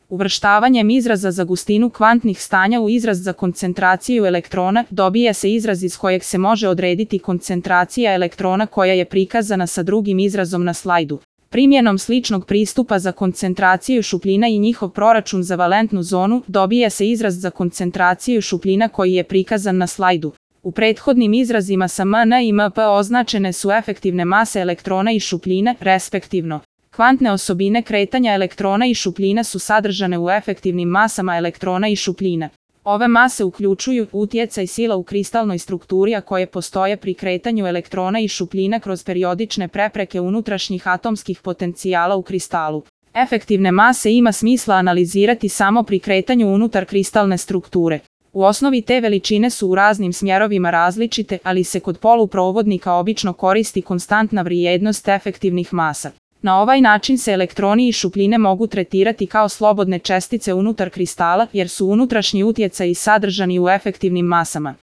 Uvrštavanjem izraza za gustinu kvantnih stanja u izraz za koncentraciju elektrona dobija se izraz iz kojeg se može odrediti koncentracija elektrona koja je prikazana sa drugim izrazom na slajdu. Primjenom sličnog pristupa za koncentraciju šupljina i njihov proračun za valentnu zonu dobija se izraz za koncentraciju šupljina koji je prikazan na slajdu. U prethodnim izrazima sa Mn i Mp označene su efektivne mase elektrona i šupljine, respektivno. Kvantne osobine kretanja elektrona i šupljina su sadržane u efektivnim masama elektrona i šupljina. Ove mase uključuju utjecaj sila u kristalnoj strukturi a koje postoje pri kretanju elektrona i šupljina kroz periodične prepreke unutrašnjih atomskih potencijala u kristalu. Efektivne mase ima smisla analizirati samo pri kretanju unutar kristalne strukture. U osnovi te veličine su u raznim smjerovima različite, ali se kod poluprovodnika obično koristi konstantna vrijednost efektivnih masa. Na ovaj način se elektroni i šupljine mogu tretirati kao slobodne čestice unutar kristala jer su unutrašnji utjecaji sadržani u efektivnim masama.